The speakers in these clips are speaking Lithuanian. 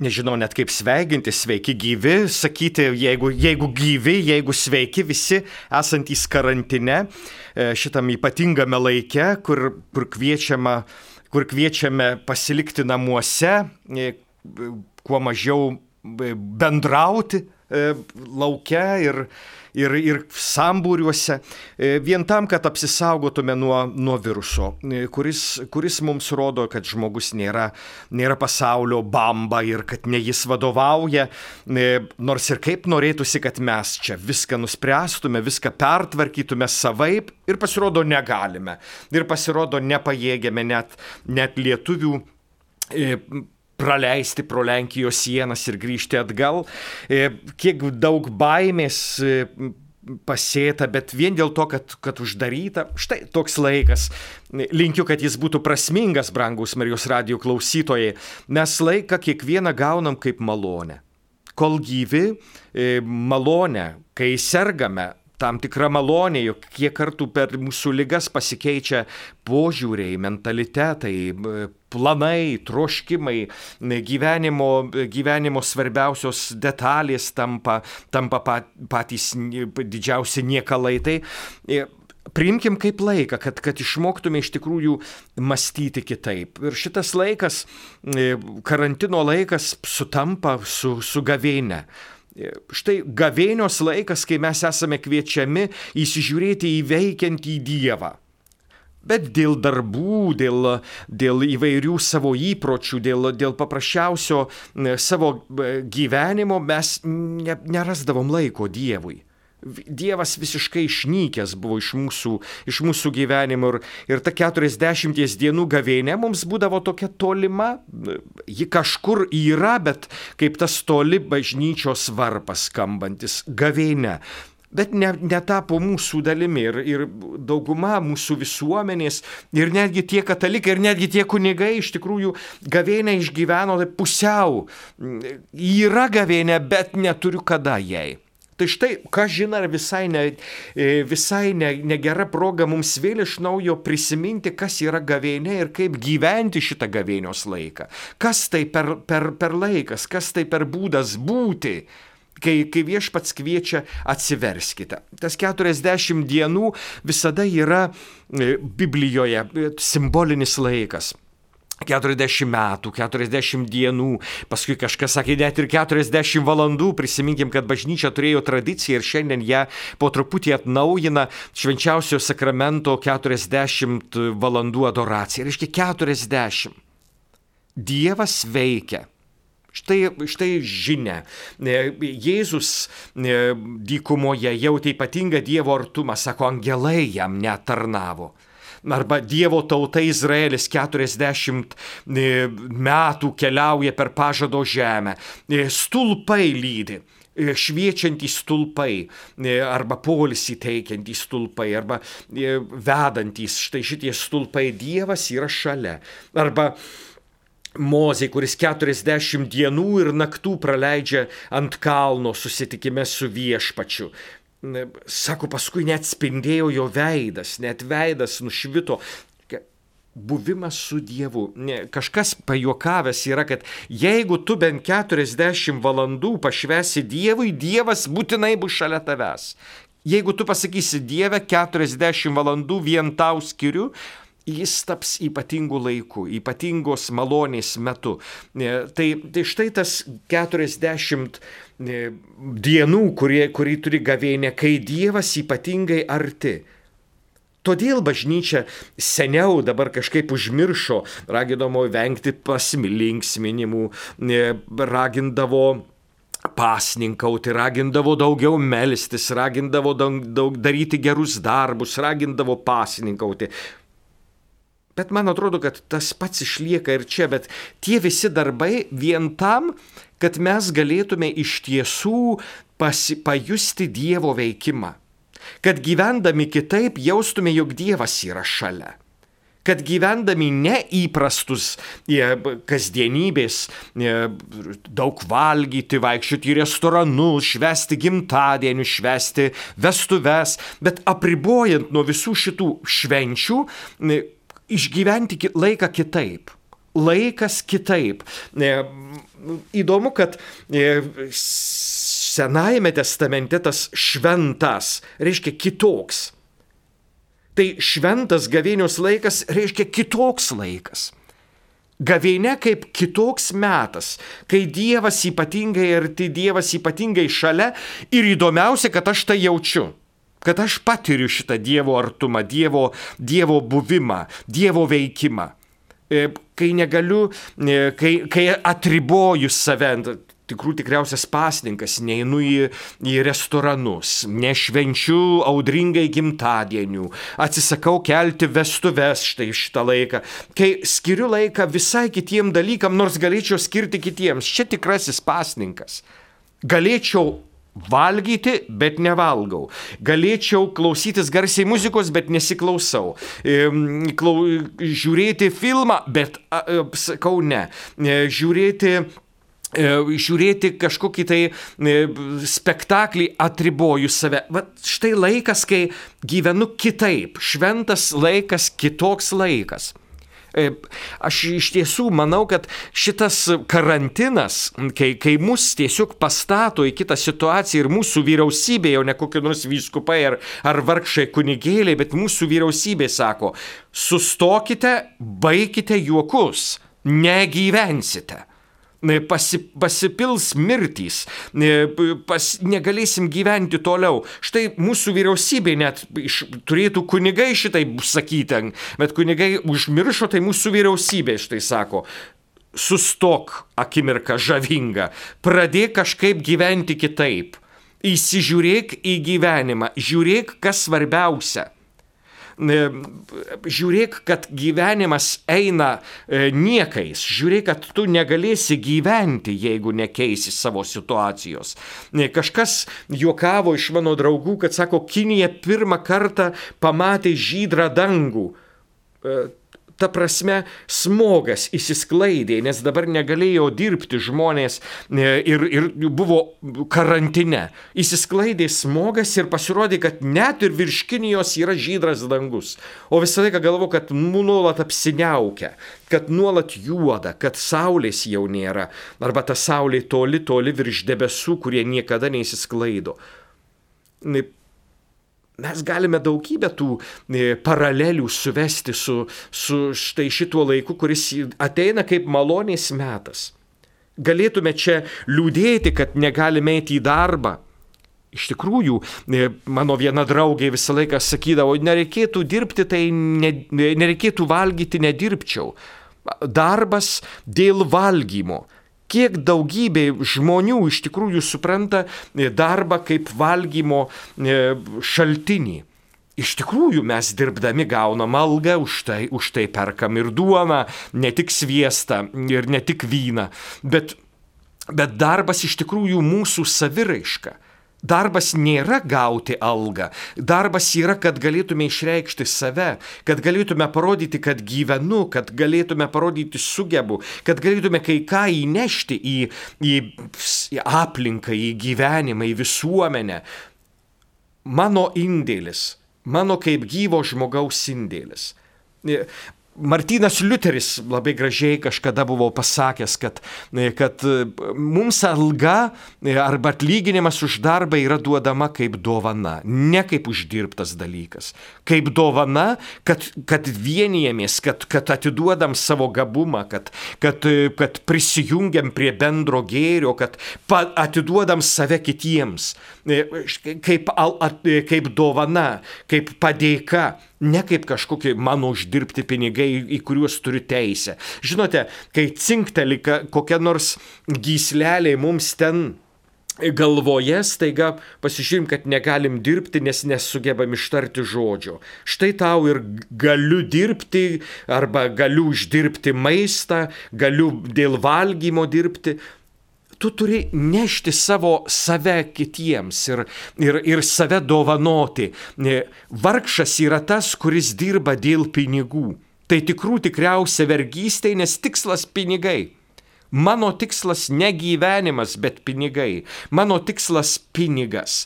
nežinau net kaip sveikinti, sveiki gyvi, sakyti, jeigu gyvi, jeigu sveiki visi esantys karantine, šitam ypatingame laike, kur kviečiame pasilikti namuose, kuo mažiau bendrauti lauke ir sambūriuose, vien tam, kad apsisaugotume nuo viruso, kuris mums rodo, kad žmogus nėra pasaulio bamba ir kad ne jis vadovauja, nors ir kaip norėtųsi, kad mes čia viską nuspręstume, viską pertvarkytume savaip, ir pasirodo negalime, ir pasirodo nepajėgiame net lietuvių praleisti pro Lenkijos sienas ir grįžti atgal. Kiek daug baimės pasėta, bet vien dėl to, kad uždaryta. Štai toks laikas. Linkiu, kad jis būtų prasmingas, brangus Marijos radijo klausytojai. Mes laiką kiekvieną gaunam kaip malonę. Kol gyvi, malonę, kai sergame, tam tikra malonė, jog kiek kartų per mūsų ligas pasikeičia požiūriai, mentalitetai, planai, troškimai, gyvenimo svarbiausios detalės tampa patys didžiausi niekalai. Tai priimkim kaip laiką, kad išmoktume iš tikrųjų mąstyti kitaip. Ir šitas laikas, karantino laikas, sutampa su gavėnia. Štai gavėnios laikas, kai mes esame kviečiami įsižiūrėti į veikiantį Dievą. Bet dėl darbų, dėl įvairių savo įpročių, dėl paprasčiausio savo gyvenimo mes nerasdavom laiko Dievui. Dievas visiškai išnykęs buvo iš mūsų gyvenimo ir ta 40 dienų gavėnė mums būdavo tokia tolima, ji kažkur yra, bet kaip tas toli bažnyčios varpas skambantis gavėnė. Bet netapo mūsų dalimi ir dauguma mūsų visuomenės ir netgi tie katalikai ir netgi tie kunigai iš tikrųjų gavėnę išgyveno pusiau. Yra gavėnė, bet neturiu kada jai. Tai štai, ką žinai, visai negera proga mums vėl iš naujo prisiminti, kas yra gavėnė ir kaip gyventi šitą gavėnios laiką. Kas tai per laikas, kas tai per būdas būti, kai Viešpats kviečia atsiverskite. Tas 40 dienų visada yra Biblijoje simbolinis laikas. 40 metų, 40 dienų, paskui kažkas sakė net ir 40 valandų, prisiminkim, kad bažnyčia turėjo tradiciją ir šiandien ją po truputį atnaujina švenčiausio sakramento 40 valandų adoracija. Reiškia 40. Dievas veikia. Štai žinia. Jėzus dykumoje jautė ypatingą Dievo artumą, sako, angelai jam netarnavo. Arba Dievo tauta Izraelis 40 metų keliauja per pažado žemę. Stulpai lydi, šviečiantys stulpai, arba poilsį teikiantys stulpai, arba vedantys. Štai šitie stulpai, Dievas yra šalia. Arba Mozė, kuris 40 dienų ir naktų praleidžia ant kalno susitikime su Viešpačiu. Sako, paskui net spindėjo jo veidas, net veidas nušvito. Buvimas su Dievu. Kažkas pajuokavęs yra, kad jeigu tu bent 40 valandų pašvęsi Dievui, Dievas būtinai bus šalia tavęs. Jeigu tu pasakysi, Dieve, 40 valandų vien tau skiriu, jis taps ypatingų laikų, ypatingos malonės metu. Tai štai tas 40 dienų, kurį turi gavėnė, kai Dievas ypatingai arti. Todėl bažnyčia seniau dabar kažkaip užmiršo, ragindavo vengti pasilinksminimų, ragindavo pasninkauti, ragindavo daugiau melstis, ragindavo daug daryti gerus darbus, ragindavo pasninkauti. Bet man atrodo, kad tas pats išlieka ir čia, bet tie visi darbai vien tam, kad mes galėtume iš tiesų pajusti Dievo veikimą. Kad gyvendami kitaip jaustume, jog Dievas yra šalia. Kad gyvendami neįprastus kasdienybės, daug valgyti, vaikščioti į restoranus, švęsti gimtadienį, švęsti vestuves, bet apribojant nuo visų šitų švenčių, išgyventi laiką kitaip. laikas kitaip. Įdomu, kad Senajame testamente tas šventas reiškia kitoks. Tai šventas gavėnios laikas reiškia kitoks laikas. Gavėnia kaip kitoks metas, kai Dievas ypatingai arti, Dievas ypatingai šalia ir įdomiausia, kad aš tai jaučiu, kad aš patiriu šitą Dievo artumą, Dievo buvimą, Dievo veikimą. Kai negaliu, kai atriboju save, tikriausias pasninkas, neinu į restoranus, nešvenčiu audringai gimtadienių, atsisakau kelti vestuves šitą laiką, kai skiriu laiką visai kitiem dalykam, nors galėčiau skirti kitiems. Čia tikrasis pasninkas. Galėčiau valgyti, bet nevalgau. Galėčiau klausytis garsiai muzikos, bet nesiklausau. Žiūrėti filmą, bet sakau ne. Žiūrėti kažkokį tai spektaklį, atriboju save. Vat štai laikas, kai gyvenu kitaip. Šventas laikas, kitoks laikas. Aš iš tiesų manau, kad šitas karantinas, kai mus tiesiog pastato į kitą situaciją ir mūsų vyriausybė, jau ne kokie nors vyskupai ar vargšai kunigėliai, bet mūsų vyriausybė sako, sustokite, baikite juokus, negyvensite. Pasipils mirtys, negalėsim gyventi toliau. Štai mūsų vyriausybė net turėtų kunigai šitai sakyti, bet kunigai užmiršo, tai mūsų vyriausybė štai sako, sustok akimirką žavinga, pradėk kažkaip gyventi kitaip, įsižiūrėk į gyvenimą, žiūrėk, kas svarbiausia. Žiūrėk, kad gyvenimas eina niekais. Žiūrėk, kad tu negalėsi gyventi, jeigu nekeisi savo situacijos. Kažkas juokavo iš mano draugų, kad sako, Kinija pirmą kartą pamatė žydrą dangų. Ta prasme, smogas įsisklaidė, nes dabar negalėjo dirbti žmonės ir buvo karantine. Įsisklaidė smogas ir pasirodė, kad net ir virš Kinijos yra žydras dangus. O visą laiką galvo, kad nuolat apsiniaukia, kad nuolat juoda, kad saulės jau nėra. Arba ta saulė toli virš debesų, kurie niekada neįsisklaido. Mes galime daugybę tų paralelių suvesti su štai šituo laiku, kuris ateina kaip malonės metas. Galėtume čia liūdėti, kad negalime eiti į darbą. Iš tikrųjų, mano viena draugė visą laiką sakydavo, nereikėtų dirbti, tai nereikėtų valgyti, nedirbčiau. Darbas dėl valgymo. Kiek daugybė žmonių iš tikrųjų supranta darbą kaip valgymo šaltinį. Iš tikrųjų mes dirbdami gaunam algą, už tai perkam ir duoną, ne tik sviestą ir ne tik vyną, bet darbas iš tikrųjų mūsų saviraiška. Darbas nėra gauti algą, darbas yra, kad galėtume išreikšti save, kad galėtume parodyti, kad gyvenu, kad galėtume parodyti sugebu, kad galėtume kai ką įnešti į aplinką, į gyvenimą, į visuomenę. Mano indėlis, mano kaip gyvo žmogaus indėlis. Martynas Liuteris labai gražiai kažkada buvo pasakęs, kad mums alga arba atlyginimas už darbą yra duodama kaip dovana, ne kaip uždirbtas dalykas. Kaip dovana, kad vienijamės, kad atiduodam savo gabumą, kad prisijungiam prie bendro gėrio, kad atiduodam save kitiems. Kaip dovana, kaip padėka. Ne kaip kažkokie mano uždirbti pinigai, į kuriuos turiu teisę. Žinote, kai cinkteli kokia nors gyslelė mums ten galvoje, staiga pasižiūrim, kad negalim dirbti, nes nesugebam ištarti žodžio. Štai tau ir galiu dirbti, arba galiu uždirbti maistą, galiu dėl valgymo dirbti. Tu turi nešti save kitiems ir save dovanoti. Vargšas yra tas, kuris dirba dėl pinigų. Tai tikriausia vergystė, nes tikslas pinigai. Mano tikslas ne gyvenimas, bet pinigai. Mano tikslas pinigas.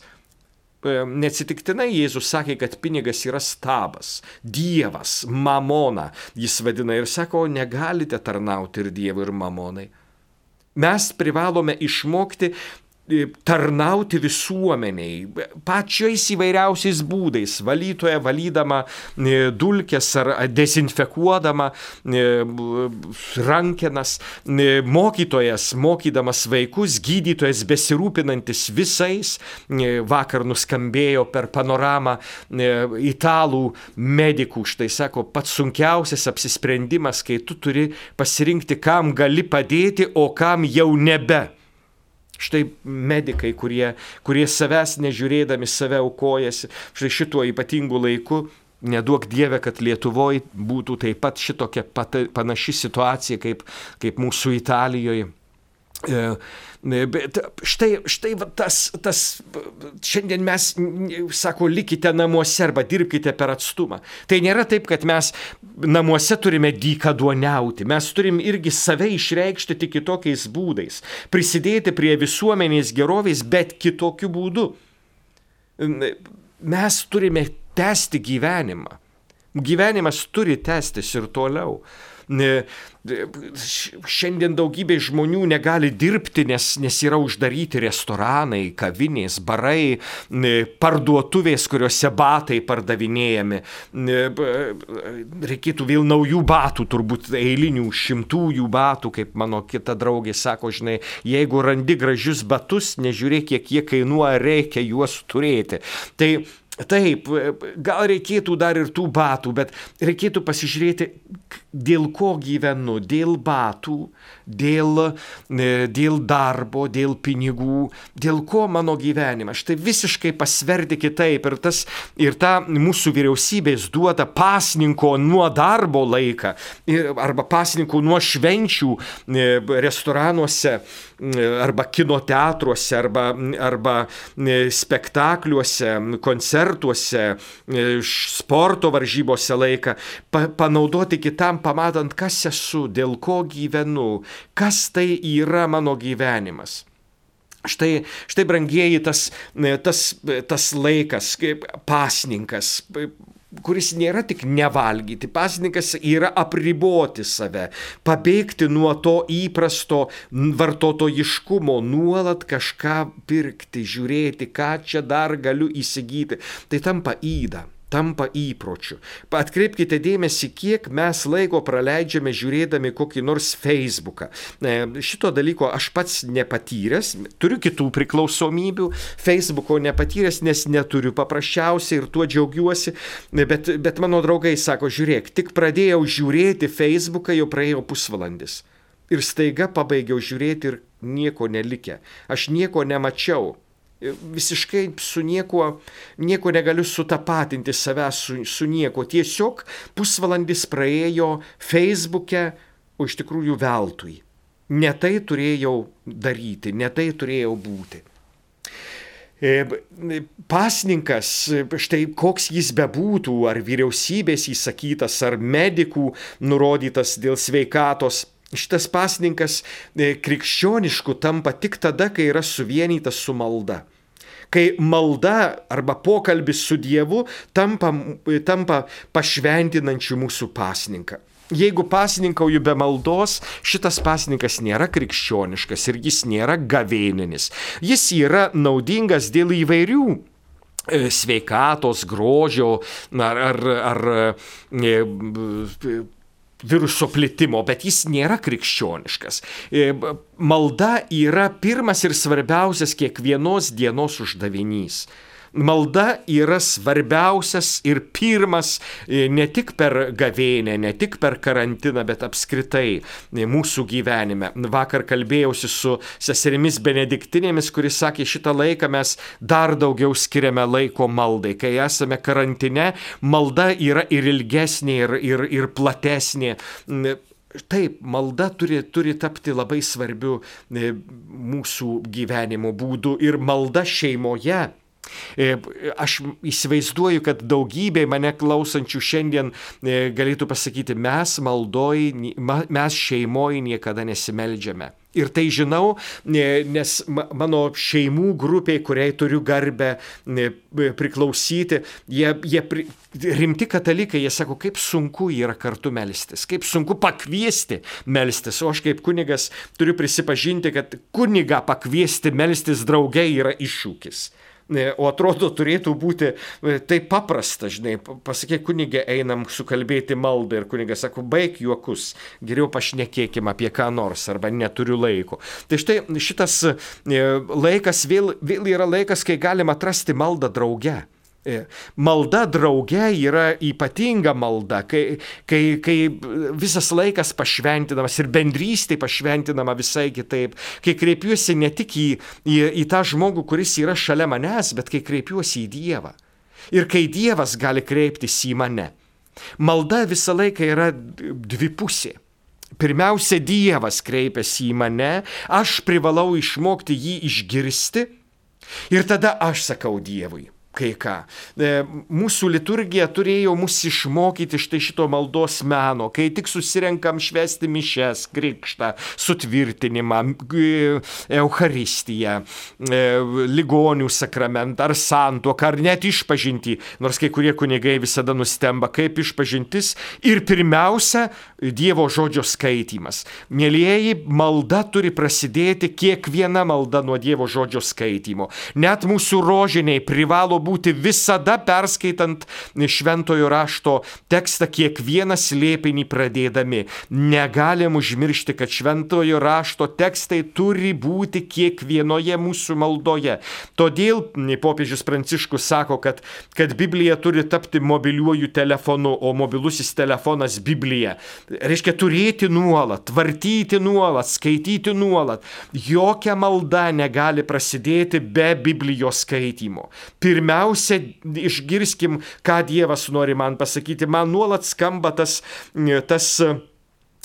Neatsitiktinai Jėzus sakė, kad pinigas yra stabas, dievas, mamona, jis vadina ir sako, negalite tarnauti ir dievui, ir mamonai. Mes privalome išmokti tarnauti visuomeniai, pačiais įvairiausiais būdais, valytoja valydama dulkes ar dezinfekuodama rankenas, mokytojas mokydamas vaikus, gydytojas besirūpinantis visais. Vakar nuskambėjo per panoramą italų medikų, štai sako, pats sunkiausias apsisprendimas, kai tu turi pasirinkti, kam gali padėti, o kam jau nebe. Štai medikai, kurie savęs nežiūrėdami save aukojasi, štai šituo ypatingu laiku, neduok Dieve, kad Lietuvoje būtų taip pat šitokia panaši situacija kaip mūsų Italijoje. Bet štai tas šiandien mes, sako, likite namuose arba dirbkite per atstumą. Tai nėra taip, kad mes namuose turime dykaduoniauti. Mes turim irgi save išreikšti tik kitokiais būdais. Prisidėti prie visuomenės gerovės, bet kitokiu būdu. Mes turime tęsti gyvenimą. Gyvenimas turi tęstis ir toliau. Šiandien daugybė žmonių negali dirbti, nes yra uždaryti restoranai, kavinės, barai, parduotuvės, kuriuose batai pardavinėjami. Reikėtų vėl naujų batų, turbūt eilinių 100 batų, kaip mano kita draugė sako, žinai, jeigu randi gražius batus, nežiūrėk, kiek jie kainuoja, reikia juos turėti. Taip, gal reikėtų dar ir tų batų, bet reikėtų pasižiūrėti, dėl ko gyvenu, dėl batų, dėl darbo, dėl pinigų, dėl ko mano gyvenimas. Štai visiškai pasverti kitaip ir ta mūsų vyriausybės duoda pasninko nuo darbo laiką arba pasninko nuo švenčių restoranuose arba kino teatruose arba spektakliuose, koncertuose, sporto varžybose laiką panaudoti kitam, pamatant, kas esu, dėl ko gyvenu, kas tai yra mano gyvenimas. Štai brangieji, tas laikas, pasninkas, kuris nėra tik nevalgyti, pasninkas yra apriboti save, pabėgti nuo to įprasto vartotojiškumo, nuolat kažką pirkti, žiūrėti, ką čia dar galiu įsigyti. Tai tampa yda. Tampa įpročiu. Atkreipkite dėmesį, kiek mes laiko praleidžiame žiūrėdami kokį nors Facebooką. Šito dalyko aš pats nepatyręs, turiu kitų priklausomybių, Facebooko nepatyręs, nes neturiu paprasčiausiai ir tuo džiaugiuosi, bet mano draugai sako, žiūrėk, tik pradėjau žiūrėti Facebooką, jau praėjo pusvalandis. Ir staiga pabaigiau žiūrėti ir nieko nelikę. Aš nieko nemačiau. Visiškai su nieko negaliu sutapatinti savęs su nieko. Tiesiog pusvalandis praėjo Facebook'e, o iš tikrųjų veltui. Ne tai turėjau daryti, ne tai turėjau būti. Pasninkas, štai koks jis bebūtų, ar vyriausybės įsakytas, ar medikų nurodytas dėl sveikatos, šitas pasninkas krikščionišku tampa tik tada, kai yra suvienytas su malda. Kai malda arba pokalbis su Dievu tampa pašventinančiu mūsų pasninką. Jeigu pasninkauju be maldos, šitas pasninkas nėra krikščioniškas ir jis nėra gavėninis. Jis yra naudingas dėl įvairių sveikatos, grožio ar viruso plitimo, bet jis nėra krikščioniškas. Malda yra pirmas ir svarbiausias kiekvienos dienos uždavinys. Malda yra svarbiausias ir pirmas ne tik per gavėnę, ne tik per karantiną, bet apskritai mūsų gyvenime. Vakar kalbėjausi su seserimis benediktinėmis, kuris sakė, šitą laiką mes dar daugiau skiriame laiko maldai. Kai esame karantine, malda yra ir ilgesnė, ir platesnė. Taip, malda turi tapti labai svarbiu mūsų gyvenimo būdu ir malda šeimoje. Aš įsivaizduoju, kad daugybė mane klausančių šiandien galėtų pasakyti, mes šeimoje niekada nesimeldžiame. Ir tai žinau, nes mano šeimų grupiai, kuriai turiu garbę priklausyti, jie rimti katalikai, jie sako, kaip sunku yra kartu melstis, kaip sunku pakviesti melstis. O aš kaip kunigas turiu prisipažinti, kad kunigą pakviesti melstis drauge yra iššūkis. O atrodo, turėtų būti taip paprasta, žinai, pasakyk kunigė, einam sukalbėti maldą ir kunigas sako, baik juokus, geriau pašnekėkim apie ką nors arba neturiu laiko. Tai štai šitas laikas vėl yra laikas, kai galim atrasti maldą drauge. Malda drauge yra ypatinga malda, kai visas laikas pašventinamas ir bendrystė pašventinama visai kitaip, kai kreipiuosi ne tik į tą žmogų, kuris yra šalia manęs, bet kai kreipiuosi į Dievą. Ir kai Dievas gali kreiptis į mane. Malda visą laiką yra dvipusė. Pirmiausia, Dievas kreipiasi į mane, aš privalau išmokti jį išgirsti ir tada aš sakau Dievui. Kai ką. Mūsų liturgija turėjo mus išmokyti štai šito maldos meno, kai tik susirenkam švęsti mišes, krikštą, sutvirtinimą, Eucharistiją, ligonių sakramentą ar santuoką, ar net išpažintį, nors kai kurie kunigai visada nustemba, kaip išpažintis ir pirmiausia Dievo žodžio skaitymas. Mielieji, malda turi prasidėti kiekviena malda nuo Dievo žodžio skaitymo. Net mūsų rožiniai privalo būti visada perskaitant šventojo rašto tekstą kiekvieną slėpinį pradėdami. Negalim užmiršti, kad šventojo rašto tekstai turi būti kiekvienoje mūsų maldoje. Todėl popiežius Pranciškus sako, kad Biblija turi tapti mobiliuoju telefonu, o mobilusis telefonas Biblija. Reiškia turėti nuolat, vartyti nuolat, skaityti nuolat. Jokia malda negali prasidėti be Biblijos skaitymo. Pirmiausia, išgirskim, ką Dievas nori man pasakyti. Man nuolat skamba tas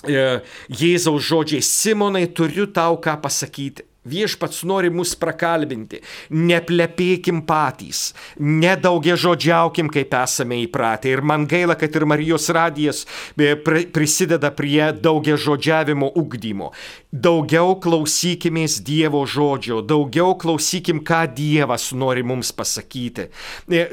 Jėzaus žodžiai, Simonai, turiu tau ką pasakyti. Viešpats nori mus prakalbinti, neplepėkim patys, nedaugiažodžiaukim, kaip esame įpratę. Ir man gaila, kad ir Marijos radijas prisideda prie daugiažodžiavimo ugdymo. Daugiau klausykimės Dievo žodžio, daugiau klausykim, ką Dievas nori mums pasakyti.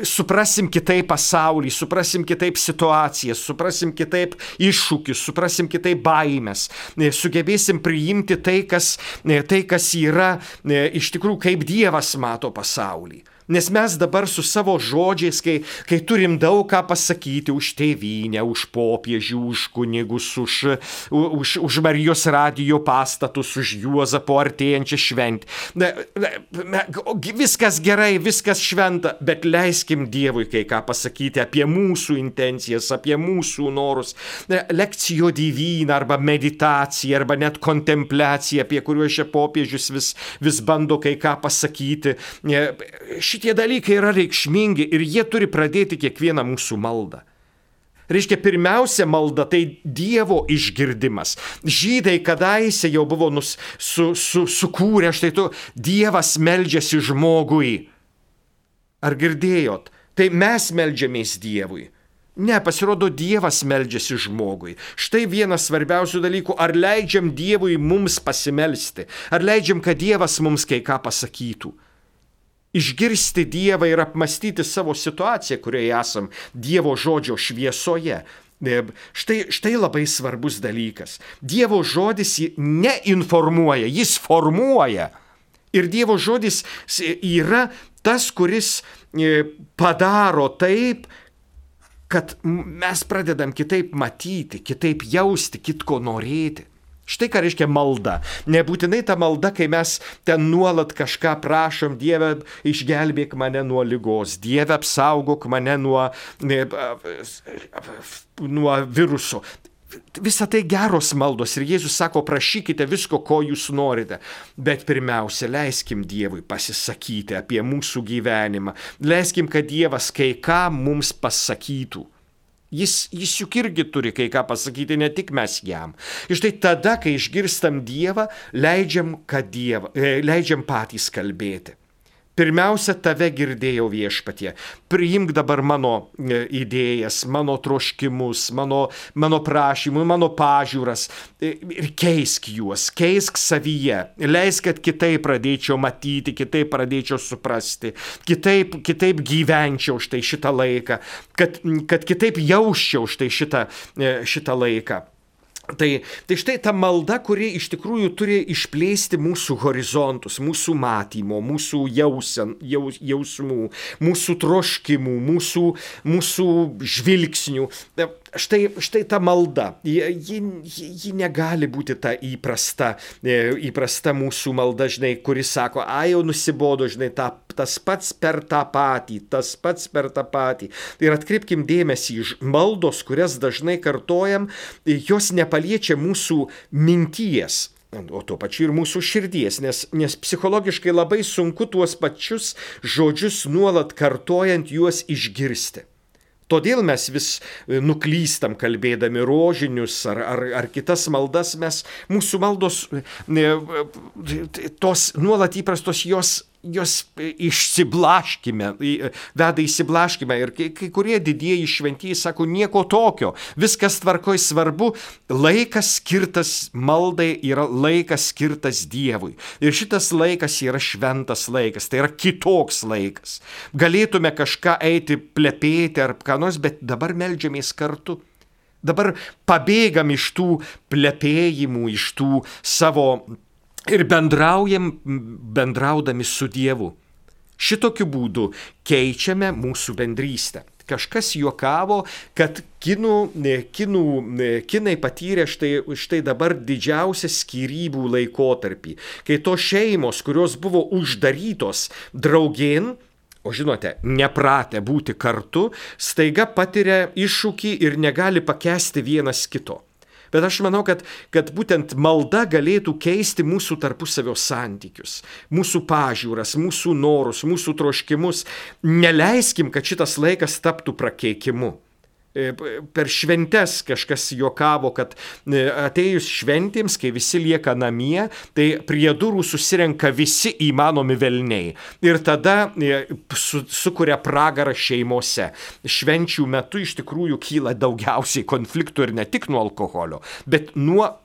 Suprasim kitaip pasaulį, suprasim kitaip situacijas, suprasim kitaip iššūkius, suprasim kitaip baimės. Sugebėsim priimti tai, kas yra iš tikrųjų, kaip Dievas mato pasaulį. Nes mes dabar su savo žodžiais, kai turim daug ką pasakyti už tėvynę, už popiežių, už kunigus, už Marijos radijo pastatus, už Juozapo artėjančią šventę. Viskas gerai, viskas šventa, bet leiskim Dievui kai ką pasakyti apie mūsų intencijas, apie mūsų norus. Lekcijo divina arba meditacija, arba net kontempliacija, apie kuriuos šia popiežius vis bando kai ką pasakyti. Šitie dalykai yra reikšmingi ir jie turi pradėti kiekvieną mūsų maldą. Reiškia, pirmiausia malda tai Dievo išgirdimas. Žydai kadaise jau buvo sukūrę, štai tu, Dievas meldžiasi žmogui. Ar girdėjot? Tai mes meldžiamės Dievui. Ne, pasirodo, Dievas meldžiasi žmogui. Štai vienas svarbiausių dalykų, ar leidžiam Dievui mums pasimelsti, ar leidžiam, kad Dievas mums kai ką pasakytų. Išgirsti Dievą ir apmastyti savo situaciją, kurioje esam Dievo žodžio šviesoje. Štai labai svarbus dalykas. Dievo žodis neinformuoja, jis formuoja. Ir Dievo žodis yra tas, kuris padaro taip, kad mes pradedam kitaip matyti, kitaip jausti, kitko norėti. Štai ką reiškia malda. Nebūtinai ta malda, kai mes ten nuolat kažką prašom, Dieve, išgelbėk mane nuo ligos, Dieve, apsaugok mane nuo viruso. Visa tai geros maldos ir Jėzus sako, prašykite visko, ko jūs norite. Bet pirmiausia, leiskim Dievui pasisakyti apie mūsų gyvenimą. Leiskim, kad Dievas kai ką mums pasakytų. Jis juk irgi turi kai ką pasakyti, ne tik mes jam. Ir štai tada, kai išgirstam Dievą, leidžiam patys kalbėti. Pirmiausia, tave girdėjau viešpatie. Priimk dabar mano idėjas, mano troškimus, mano prašymus, mano pažiūras ir keisk juos, keisk savyje. Leisk, kad kitaip pradėčiau matyti, kitaip pradėčiau suprasti, kitaip gyvenčiau štai šitą laiką, kad kitaip jausčiau štai šitą laiką. Tai štai ta malda, kuri iš tikrųjų turi išplėsti mūsų horizontus, mūsų matymo, mūsų jausmų, mūsų troškimų, mūsų žvilgsnių. Štai ta malda, ji negali būti ta įprasta mūsų malda, žinai, kuri sako, jau nusibodo, žinai, tas pats per tą patį. Ir atkreipkim dėmesį, maldos, kurias dažnai kartojam, jos nepaliečia mūsų minties, o tuo pačiu ir mūsų širdies, nes psichologiškai labai sunku tuos pačius žodžius nuolat kartojant juos išgirsti. Todėl mes vis nuklystam kalbėdami rožinius ar kitas maldas, mūsų maldos, tos nuolat įprastos, jos išsiblaškime, veda įsiblaškime ir kai kurie didieji šventieji sako nieko tokio, viskas tvarkoj, svarbu, laikas skirtas maldai yra laikas skirtas Dievui ir šitas laikas yra šventas laikas, tai yra kitoks laikas. Galėtume kažką eiti plepėti ar ką nors, bet dabar meldžiamės kartu. Dabar pabėgam iš tų plepėjimų, iš tų savo ir bendraudami su Dievu. Šitokiu būdu keičiame mūsų bendrystę. Kažkas juokavo, kad kinai patyrė štai dabar didžiausią skyrybų laikotarpį, kai tos šeimos, kurios buvo uždarytos draugėn, o žinote, nepratę būti kartu, staiga patiria iššūkį ir negali pakęsti vienas kito. Bet aš manau, kad būtent malda galėtų keisti mūsų tarpusavio santykius, mūsų pažiūras, mūsų norus, mūsų troškimus. Neleiskim, kad šitas laikas taptų prakeikimu. Per šventes kažkas juokavo, kad atėjus šventėms, kai visi lieka namie, tai prie durų susirenka visi įmanomi velniai. Ir tada sukuria pragarą šeimose. Švenčių metu iš tikrųjų kyla daugiausiai konfliktų ir ne tik nuo alkoholio, bet nuo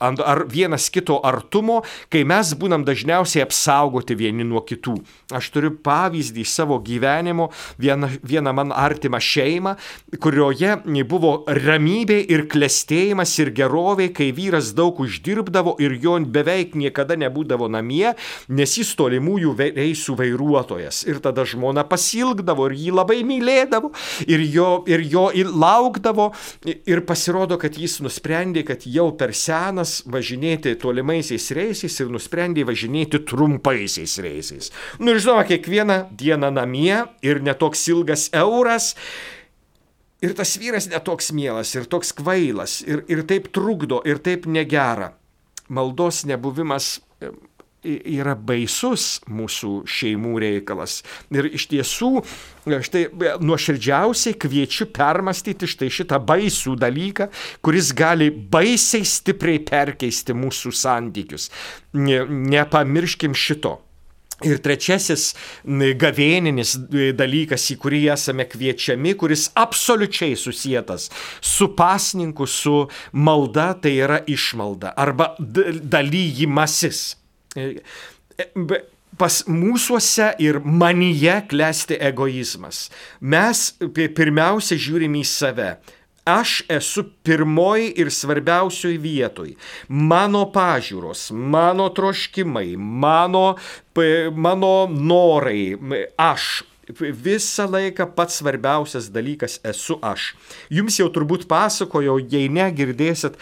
ar vienas kito artumo, kai mes būnam dažniausiai apsaugoti vieni nuo kitų. Aš turiu pavyzdį savo gyvenimo, vieną man artimą šeimą, kurioje buvo ramybė ir klestėjimas ir gerovė, kai vyras daug uždirbdavo ir jo beveik niekada nebūdavo namie, nes jis tolimųjų reisų vairuotojas. Ir tada žmona pasilgdavo ir jį labai mylėdavo ir jo laukdavo ir pasirodo, kad jis nusprendė, kad jau per senas važinėti tolimaisiais reisais ir nusprendė važinėti trumpaisiais reisais. Ir žinoma, kiekvieną dieną namie ir netoks ilgas euras. Ir tas vyras netoks mielas ir toks kvailas ir taip trukdo ir taip negera. Maldos nebuvimas yra baisus mūsų šeimų reikalas. Ir iš tiesų, štai nuoširdžiausiai kviečiu permastyti štai šitą baisų dalyką, kuris gali baisiai stipriai perkeisti mūsų santykius. Nepamirškim šito. Ir trečiasis gavėninis dalykas, į kurį esame kviečiami, kuris absoliučiai susietas su pasninku, su malda, tai yra išmalda arba dalyjimasis. Pas mūsuose ir manyje klesti egoizmas. Mes pirmiausia žiūrime į save. Aš esu pirmoji ir svarbiausioj vietoj. Mano pažiūros, mano troškimai, mano norai, aš. Visą laiką pats svarbiausias dalykas esu aš. Jums jau turbūt pasakojau, jei negirdėsit,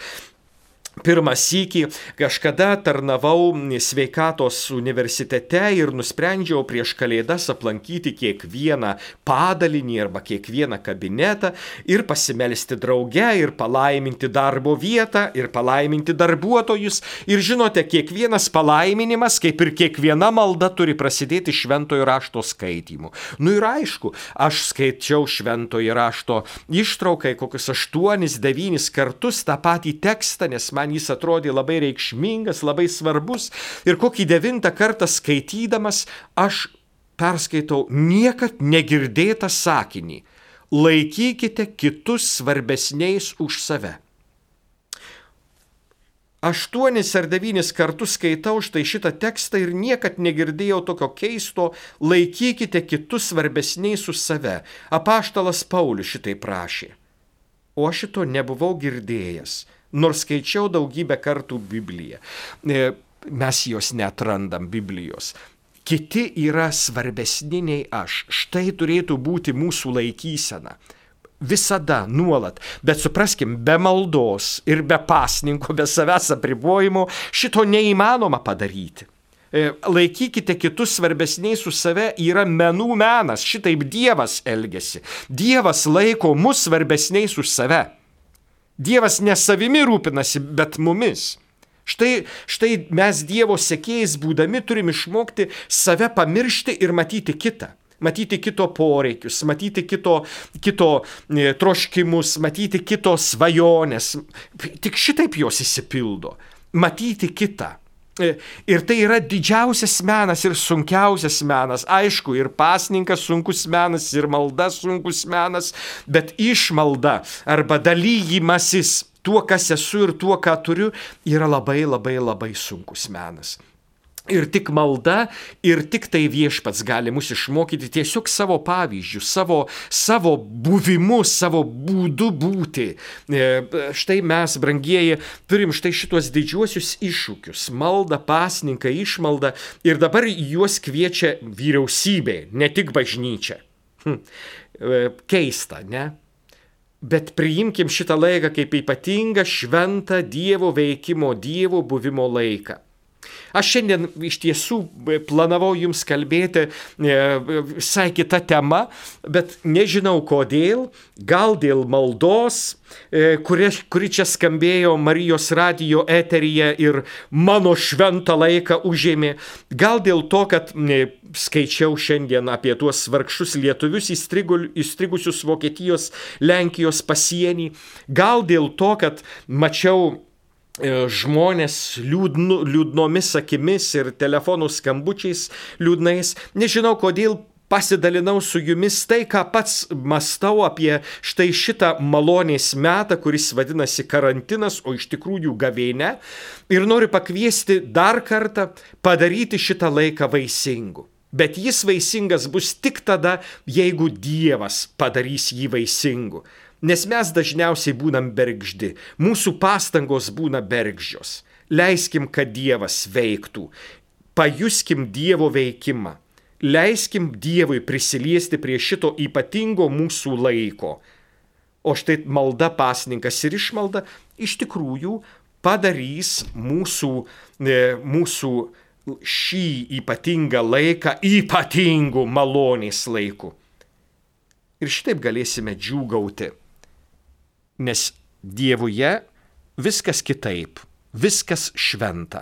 pirmą sykį kažkada tarnavau sveikatos universitete ir nusprendžiau prieš Kalėdas aplankyti kiekvieną padalinį arba kiekvieną kabinetą ir pasimelsti drauge ir palaiminti darbo vietą ir palaiminti darbuotojus. Ir žinote, kiekvienas palaiminimas, kaip ir kiekviena malda, turi prasidėti šventojo rašto skaitymu. Ir aišku, aš skaičiau šventojo rašto ištraukai kokius 8-9 kartus tą patį tekstą, nes man jis atrodė labai reikšmingas, labai svarbus. Ir kokį 9 kartą skaitydamas, aš perskaitau niekad negirdėtą sakinį. Laikykite kitus svarbesniais už save. 8 ar 9 kartus skaitau štai šitą tekstą ir niekad negirdėjau tokio keisto laikykite kitus svarbesniais už save. Apaštalas Paulius šitai prašė. O aš šito nebuvau girdėjęs, nors skaičiau daugybę kartų Bibliją. Mes jos neatrandam Biblijos. Kiti yra svarbesni nei aš. Štai turėtų būti mūsų laikysena. Visada, nuolat. Bet supraskim, be maldos ir be pasninko, be savęs apribojimo šito neįmanoma padaryti. Laikykite kitus svarbesniais už save yra menų menas. Šitaip Dievas elgiasi. Dievas laiko mus svarbesniais už save. Dievas ne savimi rūpinasi, bet mumis. Štai mes Dievo sekėjais būdami turim išmokti save pamiršti ir matyti kitą. Matyti kito poreikius, matyti kito troškimus, matyti kito svajonės. Tik šitaip jos išsipildo. Matyti kitą. Ir tai yra didžiausias menas ir sunkiausias menas. Aišku, ir pasninkas sunkus menas, ir malda sunkus menas, bet išmalda arba dalyjimasis tuo, kas esu ir tuo, ką turiu, yra labai, labai, labai sunkus menas. Ir tik malda, ir tik tai Viešpats gali mus išmokyti tiesiog savo pavyzdžių, savo buvimu, savo būdu būti. Štai mes, brangieji, turim štai šitos didžiuosius iššūkius. Malda, pasninką, išmalda. Ir dabar juos kviečia vyriausybė, ne tik bažnyčia. Keista, ne? Bet priimkim šitą laiką kaip ypatingą, šventą Dievo veikimo, Dievo buvimo laiką. Aš šiandien iš tiesų planavau jums kalbėti visai kita tema, bet nežinau kodėl, gal dėl maldos, kuri čia skambėjo Marijos radijo eteryje ir mano šventą laiką užėmė, gal dėl to, kad skaičiau šiandien apie tuos vargšus lietuvius įstrigusius Vokietijos, Lenkijos pasienį, gal dėl to, kad mačiau žmonės liūdnomis akimis ir telefonų skambučiais liūdnais. Nežinau, kodėl pasidalinau su jumis tai, ką pats mąstau apie štai šitą malonės metą, kuris vadinasi karantinas, o iš tikrųjų gavėnia. Ir noriu pakviesti dar kartą padaryti šitą laiką vaisingu. Bet jis vaisingas bus tik tada, jeigu Dievas padarys jį vaisingu. Nes mes dažniausiai būnam bergždi, mūsų pastangos būna bergždžios. Leiskim, kad Dievas veiktų, pajuskim Dievo veikimą, leiskim Dievui prisiliesti prie šito ypatingo mūsų laiko. O štai malda, pasninkas ir išmalda iš tikrųjų padarys mūsų šį ypatingą laiką ypatingų malonės laiku. Ir šitaip galėsime džiūgauti. Nes Dievuje viskas kitaip, viskas šventa.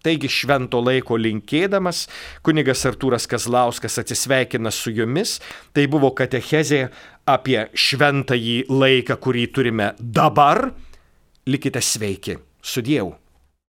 Taigi švento laiko linkėdamas, kunigas Artūras Kazlauskas atsisveikina su jumis. Tai buvo katechezė apie šventąjį laiką, kurį turime dabar. Likite sveiki. Su Dievu.